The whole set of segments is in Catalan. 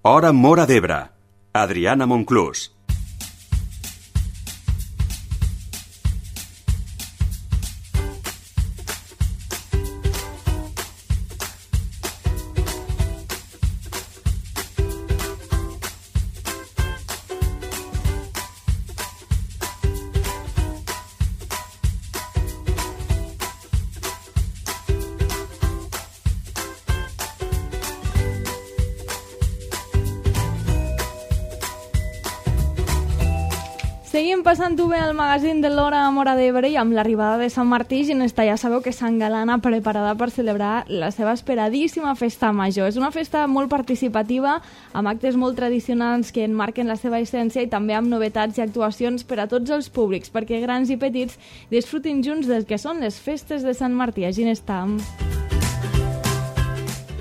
Hora Móra d'Ebre. Adriana Monclús. Seguim passant-ho bé al magazín de l'Hora Móra d'Ebre i amb l'arribada de Sant Martí, Ginesta ja sabeu que s'engalana preparada per celebrar la seva esperadíssima festa major. És una festa molt participativa, amb actes molt tradicionals que enmarquen la seva essència i també amb novetats i actuacions per a tots els públics, perquè grans i petits disfrutin junts del que són les festes de Sant Martí a Ginesta.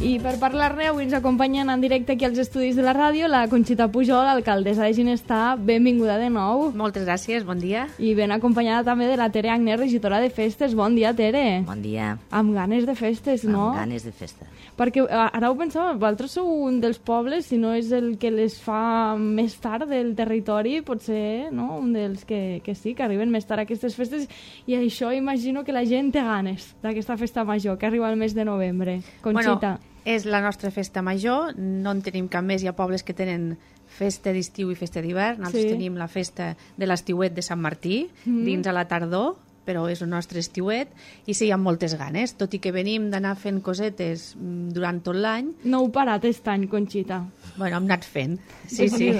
I per parlar-ne, avui ens acompanyen en directe aquí als estudis de la ràdio la Conxita Pujol, alcaldessa de Ginesta. Benvinguda de nou. Moltes gràcies, bon dia. I ben acompanyada també de la Tere Agnes, regidora de festes. Bon dia, Tere. Bon dia. Amb ganes de festes, no? Amb ganes de festa. Perquè ara ho pensava, vosaltres sou un dels pobles, si no és el que les fa més tard del territori, potser, no? Un dels que sí, que arriben més tard a aquestes festes, i això imagino que la gent té ganes d'aquesta festa major, que arriba al mes de novembre. Conxita. Bueno, és la nostra festa major, no en tenim cap més, hi ha pobles que tenen festa d'estiu i festa d'hivern, nosaltres tenim la festa de l'estiuet de Sant Martí, dins a la tardor, però és el nostre estiuet, i sí, hi ha moltes ganes, tot i que venim d'anar fent cosetes durant tot l'any. No heu parat aquest any, Conxita? Bueno, hem anat fent, sí.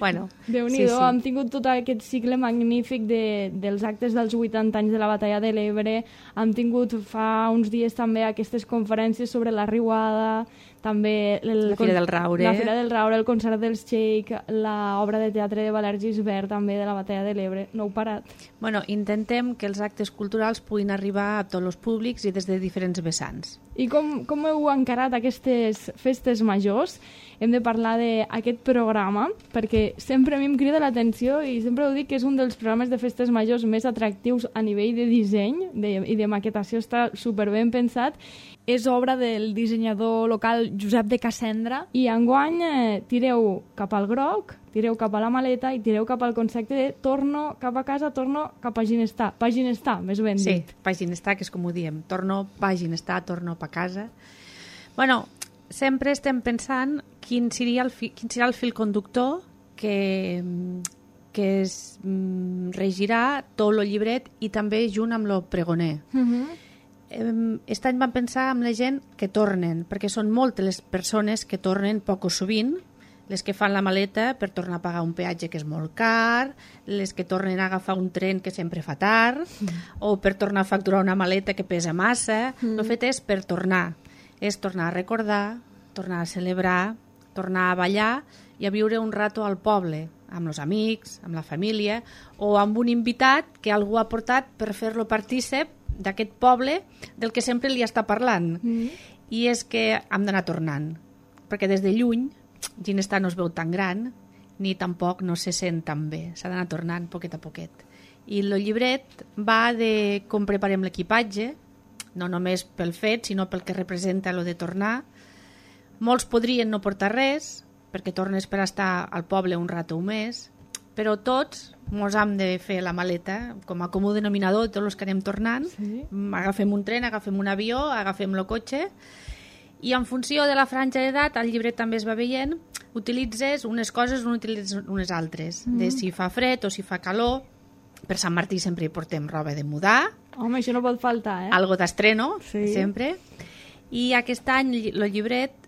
Bueno, Déu-n'hi-do, sí. Hem tingut tot aquest cicle magnífic dels actes dels 80 anys de la Batalla de l'Ebre, hem tingut fa uns dies també aquestes conferències sobre la riuada, també la Fira del Raure, el concert dels Xeic, l'obra de teatre de Valère Gisbert també de la Batalla de l'Ebre. No heu parat? Bueno, intentem que els actes culturals puguin arribar a tots els públics i des de diferents vessants. I com heu encarat aquestes festes majors? Hem de parlar d'aquest programa, perquè sempre a mi em crida l'atenció i sempre ho dic que és un dels programes de festes majors més atractius a nivell de disseny i de maquetació, està superben pensat. És obra del dissenyador local Josep de Cassendra i enguany tireu cap al groc, tireu cap a la maleta i tireu cap al concepte de torno cap a casa, torno cap a Ginestà. Pa Ginestà, més ben dit. Sí, pa Ginestà, que és com ho diem. Torno pa Ginestà, torno pa casa. Bueno, sempre estem pensant quin serà el fil conductor que es regirà tot el llibret i també junt amb el pregoner. Aquest any vam pensar amb la gent que tornen, perquè són moltes les persones que tornen poc o sovint, les que fan la maleta per tornar a pagar un peatge que és molt car, les que tornen a agafar un tren que sempre fa tard, o per tornar a facturar una maleta que pesa massa. El fet és per tornar. És tornar a recordar, tornar a celebrar, tornar a ballar i a viure un rato al poble, amb els amics, amb la família, o amb un invitat que algú ha portat per fer-lo partícip d'aquest poble del que sempre li està parlant. I és que hem d'anar tornant, perquè des de lluny Ginestà no es veu tan gran, ni tampoc no se sent tan bé. S'ha d'anar tornant poquet a poquet. I el llibret va de com preparem l'equipatge, no només pel fet, sinó pel que representa lo de tornar. Molts podrien no portar res, perquè tornes per estar al poble un rato o més, però tots mos hem de fer la maleta com a comú denominador de tots els que anem tornant. Sí. Agafem un tren, agafem un avió, agafem el cotxe, i en funció de la franja d'edat, el llibret també es va veient, utilitzes unes coses o utilitzes unes altres, de si fa fred o si fa calor. Per Sant Martí sempre hi portem roba de mudar. Home, això no pot faltar, Algo d'estreno, sempre. I aquest any el llibret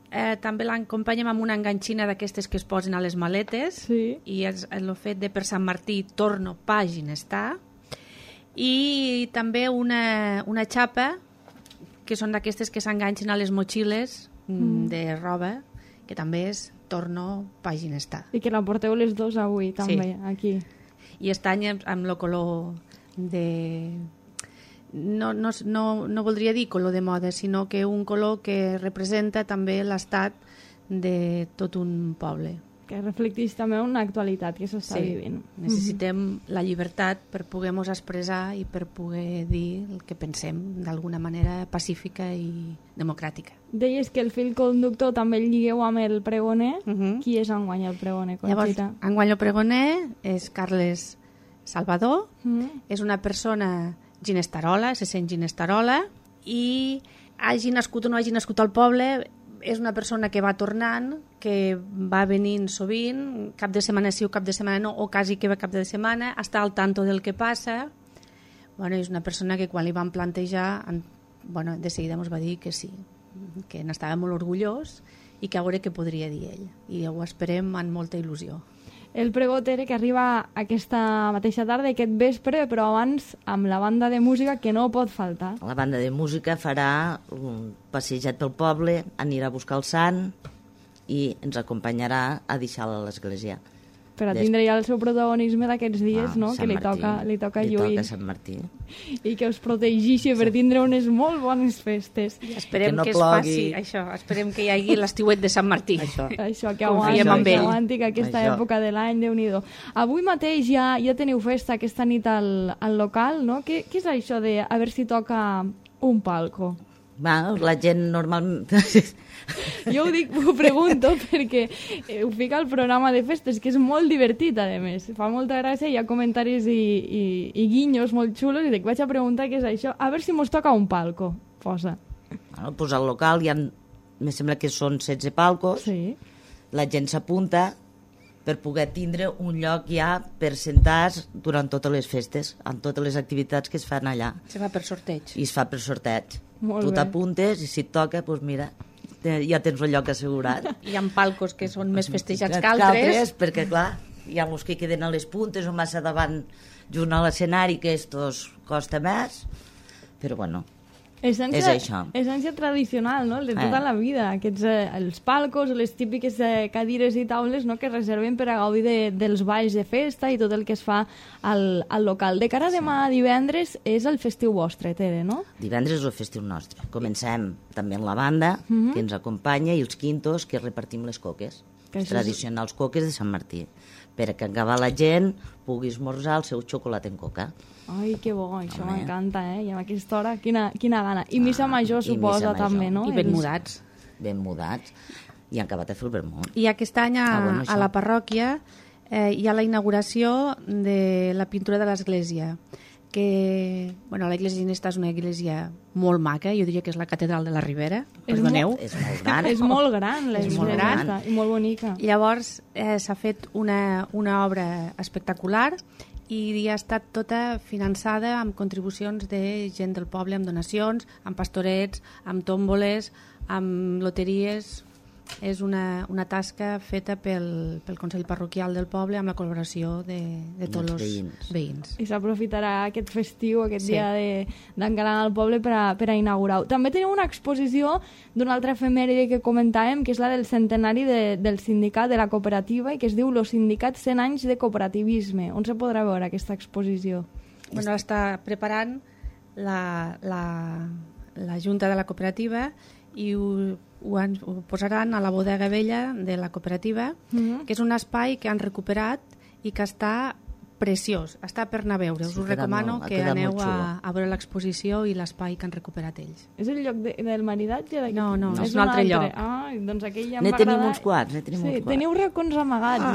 també l'acompanyem amb una enganxina d'aquestes que es posen a les maletes, i el fet de per Sant Martí torno pa Ginestà, i també una xapa que són d'aquestes que s'enganxen a les motxilles de roba, que també és torno pa Ginestà. I que la porteu les dos avui també, aquí. I aquest any amb el color de... No voldria dir color de moda, sinó que un color que representa també l'estat de tot un poble. que reflecteix també una actualitat que s'està vivint. Necessitem la llibertat per poder-nos expressar i per poder dir el que pensem d'alguna manera pacífica i democràtica. Deies que el fil conductor també el lligueu amb el pregoner. Qui és enguany el pregoner, Conxita? Llavors, enguany el pregoner és Carles Salvador, és una persona ginestarola, se sent ginestarola, i hagi nascut o no hagi nascut al poble, és una persona que va tornant, que va venint sovint, cap de setmana sí o cap de setmana no, o quasi que va cap de setmana, està al tanto del que passa. Bueno, és una persona que quan li van plantejar, de seguida ens va dir que sí, que n'estava molt orgullós i que a veure què podria dir ell. I ho esperem amb molta il·lusió. El pregó, Tere, que arriba aquesta mateixa tarda, aquest vespre, però abans amb la banda de música que no pot faltar. La banda de música farà un passejat pel poble, anirà a buscar el sant i ens acompanyarà a deixar-la a l'església. Per a tindre ja el seu protagonisme d'aquests dies, no? Que li toca lluir. Li toca Sant Martí. I que us protegeixi per tindre unes molt bones festes. Esperem que es faci això, esperem que hi hagi l'estiuet de Sant Martí. Això que aguanti que aquesta època de l'any, Déu-n'hi-do. Avui mateix ja teniu festa aquesta nit al local, no? Què és això de a veure si toca un palco? La gent normalment... Jo ho pregunto perquè ho fica al programa de festes, que és molt divertit, a més. Fa molta gràcia, hi ha comentaris i guinyos molt xulos, i dic, vaig a preguntar què és això, a veure si mos toca un palco. Posa. Pues al local me sembla que són 16 palcos, la gent s'apunta per poder tindre un lloc ja per sentar-se durant totes les festes, amb totes les activitats que es fan allà. Se fa per sorteig. I es fa per sorteig. Tu t'apuntes i si et toca, doncs mira, ja tens un lloc assegurat. Hi ha palcos que són més festejats que altres. Perquè, clar, hi ha els que queden a les puntes o massa davant junt a l'escenari, que esto costa més, però bueno, és això. Essència tradicional, no? De tota la vida. Aquests, els palcos, les típiques cadires i taules, no? Que reserven per a gaudir dels balls de festa i tot el que es fa al local. De cara a demà divendres és el festiu vostre, Tere, no? Divendres és el festiu nostre. Comencem també amb la banda, que ens acompanya, i els quintos, que repartim les coques. Els tradicionals coques de Sant Martí. Per a que acabar la gent pugui esmorzar el seu xocolat en coca. Ai, que bo, això m'encanta, I a aquesta hora, quina gana. I missa major, suposa, també, no? I ben mudats. Ben mudats. I han acabat de fer el vermut. I aquest any a la parròquia hi ha la inauguració de la pintura de l'església, que, l'església ginesta és una església molt maca, jo diria que és la catedral de la Ribera, perdoneu. És molt gran. És molt gran, l'església, i molt bonica. Llavors s'ha fet una obra espectacular i ha estat tota finançada amb contribucions de gent del poble, amb donacions, amb pastorets, amb tòmboles, amb loteries. És una tasca feta pel Consell Parroquial del poble amb la col·laboració de tots els veïns. I s'aprofitarà aquest festiu, aquest dia d'engalant al poble per a inaugurar-ho. També teniu una exposició d'una altra efemèride que comentàvem, que és la del centenari del sindicat, de la cooperativa, i que es diu Los sindicats 100 anys de cooperativisme. On se podrà veure aquesta exposició? L'està preparant la Junta de la Cooperativa i ho posaran a la bodega vella de la cooperativa, que és un espai que han recuperat i que està preciós, està per anar a veure. Us ho recomano que aneu a veure l'exposició i l'espai que han recuperat ells. És el lloc del maridatge? No, és un altre lloc. Doncs aquell ja em va agradar. Tenim uns quants. Teniu racons amagats,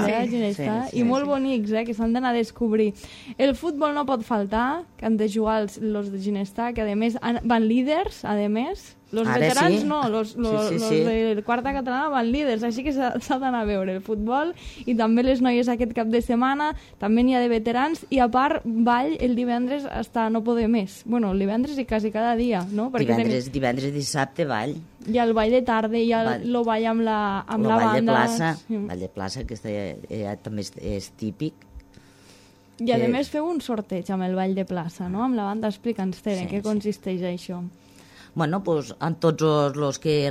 i molt bonics, que s'han d'anar a descobrir. El futbol no pot faltar, que han de jugar els de Ginestà, que a més van líders, a més. Los veterans no, los de quarta catalana van líders, així que s'ha d'anar a veure el futbol, i també les noies aquest cap de setmana, també n'hi ha de veterans, i a part ball el divendres hasta no poder més. Bueno, el divendres i quasi cada dia, no? Divendres i dissabte ball. Hi ha el ball de tarda, hi ha el ball amb la banda. Ball de plaça, que també és típic. I a més feu un sorteig amb el ball de plaça, no? Amb la banda. Explica'ns, Tere, en què consisteix això? Bueno, doncs, amb tots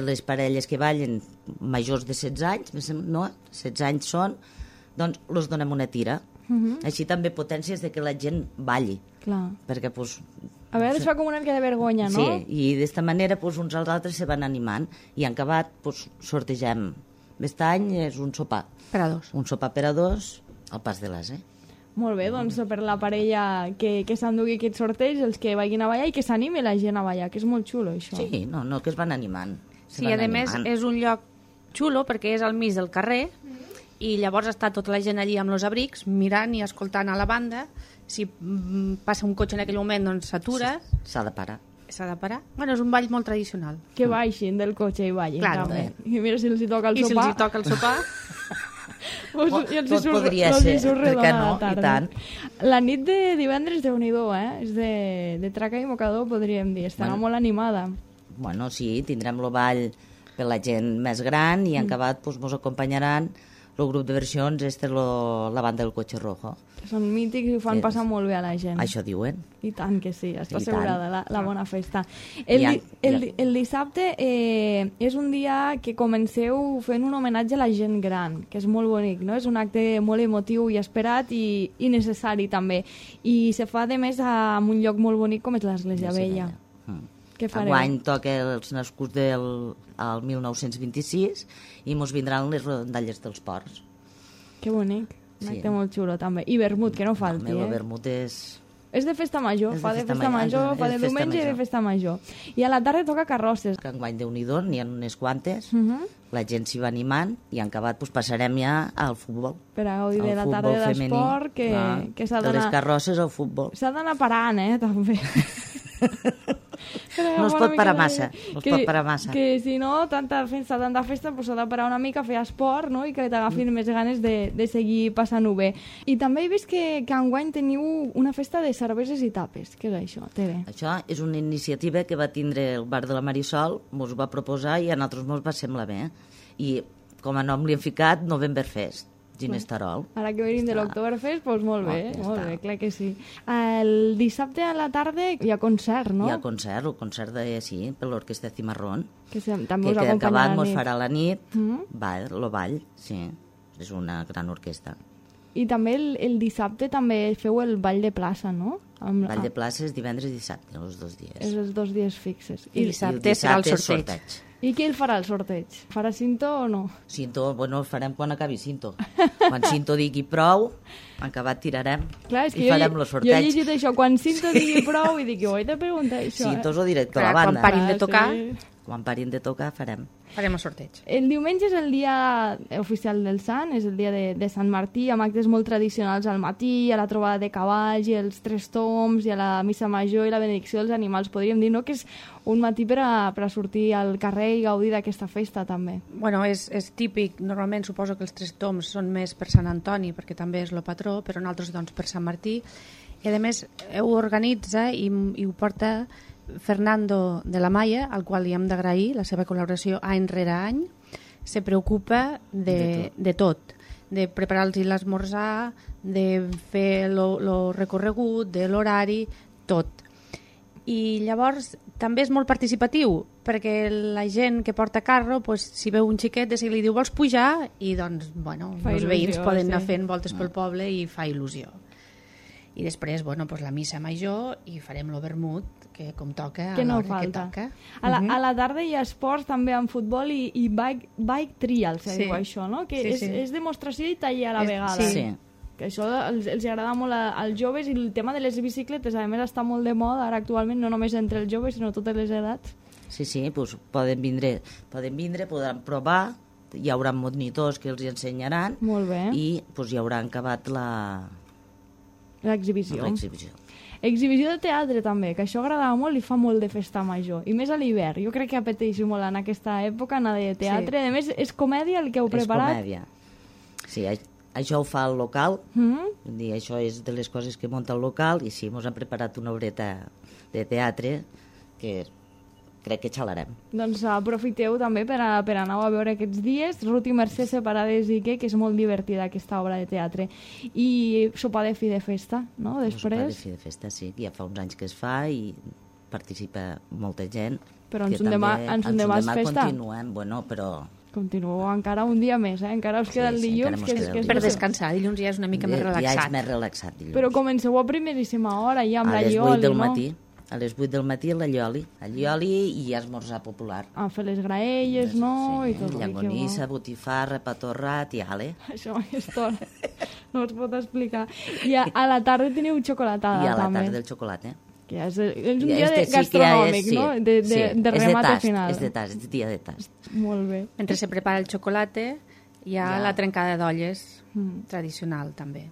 les parelles que ballen majors de 16 anys, no? 16 anys són, doncs els donem una tira. Així també potències de que la gent balli. Clar. Perquè, doncs... A vegades fa com una mica de vergonya, no? Sí, i d'esta manera uns als altres se van animant, i en acabat sortegem Aquest any és un sopar. Per a dos. Un sopar per a dos al Pas de l'As, Molt bé, doncs per la parella que s'endugui aquest sorteig, els que vagin a ballar i que s'animi la gent a ballar, que és molt xulo, això. Sí, no, que es van animant. Sí, a més és un lloc xulo perquè és al mig del carrer i llavors està tota la gent allí amb els abrics mirant i escoltant a la banda. Si passa un cotxe en aquell moment, doncs s'atura. S'ha de parar. S'ha de parar. Bueno, és un ball molt tradicional. Que baixin del cotxe i ballin. Claro. També. I mira si els hi toca el I sopar. si els hi toca el sopar... Tot podria ser, per què no? I tant. La nit de divendres, Déu-n'hi-do, És de traca i mocador, podríem dir. Estarà molt animada. Bueno, sí, tindrem el ball per la gent més gran i en acabat mos acompanyaran el grup de versions, la banda del Cotxe Rojo. Són mítics i ho fan passar molt bé a la gent. Això diuen. I tant que sí, està assegurada la bona festa. El El dissabte és un dia que comenceu fent un homenatge a la gent gran, que és molt bonic, no? És un acte molt emotiu i esperat i necessari també. I se fa, de més, en un lloc molt bonic com és l'Església Vella. Què fareu? Enguany toca els nascuts del 1926 i mos vindran les rondalles dels ports. Que bonic. Un acte molt xulo, també. I vermut, que no falti, El vermut és... És de festa major, fa de festa major, fa de diumenge i de festa major. I a la tarda toca carrosses. Que enguany Déu-n'hi-do, n'hi ha unes quantes, la gent s'hi va animant i en acabat passarem ja al futbol. Per a gaudir de la tarda d'esport, que s'ha d'anar... De les carrosses al futbol. S'ha d'anar parant, també. No es pot parar massa, Que si no, tanta festa, doncs s'ha de parar una mica, fer esport, no? I que t'agafin més ganes de seguir passant-ho bé. I també he vist que enguany teniu una festa de cerveses i tapes. Què és això, Tere? Això és una iniciativa que va tindre el bar de la Marisol, mos va proposar i a nosaltres mos va semblar bé. I com a nom li hem ficat Novemberfest. Ginestarol. Ara que venim de l'Octoberfest, doncs molt bé, clar que sí. El dissabte a la tarda hi ha concert, no? Hi ha concert, el concert per l'Orquestra Cimarrón, que també us acompanya acabat mos farà la nit, el ball, sí, és una gran orquestra. I també el dissabte també feu el ball de plaça, no? El ball de plaça és divendres i dissabte, els 2 dies. És els 2 dies fixes. I dissabte serà el sorteig. I qui el farà el sorteig? Farà cinto o no? Cinto, bueno, el farem quan acabi cinto. Quan cinto digui prou, acabat tirarem. Clar, i farem el sorteig. Jo he llegit això, quan cinto digui prou, i dic, ho he de preguntar això. Cinto és el director de la banda. Quan parin de tocar... Quan parin de tocar, farem el sorteig. El diumenge és el dia oficial del Sant, és el dia de Sant Martí, amb actes molt tradicionals al matí, a la trobada de cavalls i els 3 tombs, i a la missa major i la benedicció dels animals. Podríem dir, no?, que és un matí per a sortir al carrer i gaudir d'aquesta festa, també. Bueno, és típic. Normalment suposo que els 3 tombs són més per Sant Antoni, perquè també és el patró, però nosaltres, doncs, per Sant Martí. I, a més, ho organitza i ho porta Fernando de la Maya, al qual li hem d'agrair la seva col·laboració any rere any. Se preocupa de tot, de preparar-los l'esmorzar, de fer el recorregut, de l'horari, tot. I llavors també és molt participatiu, perquè la gent que porta carro, pues, si veu un xiquet, de seguida li diu, vols pujar? I doncs, bueno, els veïns poden anar fent voltes pel poble i fa il·lusió. I després, bueno, pues, la missa major i farem el vermut, que com toca, que no falta. A la tarda hi ha esports també en futbol i bike trial, se diu això, no? Que és demostració i taller a la vegada. Sí. Que això els agrada molt als joves, i el tema de les bicicletes, a més, està molt de moda ara actualment, no només entre els joves, sinó totes les edats. Sí, doncs poden vindre, podran provar, hi haurà monitors que els ensenyaran. Molt bé. I doncs, hi haurà acabat l'exhibició. Exhibició de teatre també, que això agradava molt i fa molt de festa major. I més a l'hivern. Jo crec que apeteix molt en aquesta època anar de teatre. A més, és comèdia el que heu preparat? És comèdia. Sí, això ho fa el local. Això és de les coses que munta el local. I sí, ens han preparat una obreta de teatre que crec que xalarem. Doncs aprofiteu també per anar a veure aquests dies. Ruth i Mercè separades i que és molt divertida aquesta obra de teatre. I sopar de fi de festa, no? Després. Sopar de fi de festa, sí. Ja fa uns anys que es fa i participa molta gent. Però en demà és festa. Continuem, bueno, però... Continueu encara un dia més, encara us queda el dilluns. Per descansar, dilluns ja és una mica més relaxat. Ja és més relaxat, dilluns. Però comenceu a primeríssima hora, ja amb la llioli, no? A les 8 del matí. A les 8 del matí l'allioli i esmorzar popular. A fer les graelles, no? Sí, I tot. llangonissa, botifarra, pa torrat i ale. Això a aquesta hora no es pot explicar. I a la tarda teniu xocolatada, I a la també. tarda del xocolata. Que és un dia gastronòmic, no? De remat final. És de tast, és dia de tast. Molt bé. Mentre se prepara el xocolata, hi ha la trencada d'olles tradicional, també.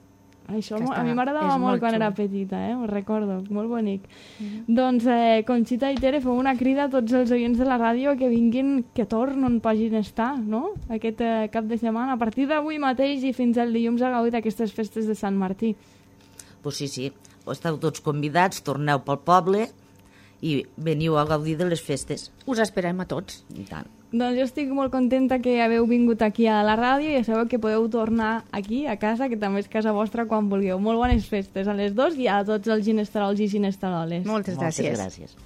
Això a mi m'agradava molt quan era petita, ho recordo, molt bonic. Doncs, Conxita i Tere, feu una crida a tots els oients de la ràdio que vinguin, que torn on pagin estar, no? Aquest cap de setmana, a partir d'avui mateix i fins al dilluns a gaudir d'aquestes festes de Sant Martí. Pues sí, esteu tots convidats, torneu pel poble i veniu a gaudir de les festes. Us esperem a tots. I tant. Doncs jo estic molt contenta que haveu vingut aquí a la ràdio i ja sabeu que podeu tornar aquí, a casa, que també és casa vostra, quan vulgueu. Molt bones festes a les dos i a tots els ginesterols i ginesteroles. Moltes gràcies. Moltes gràcies.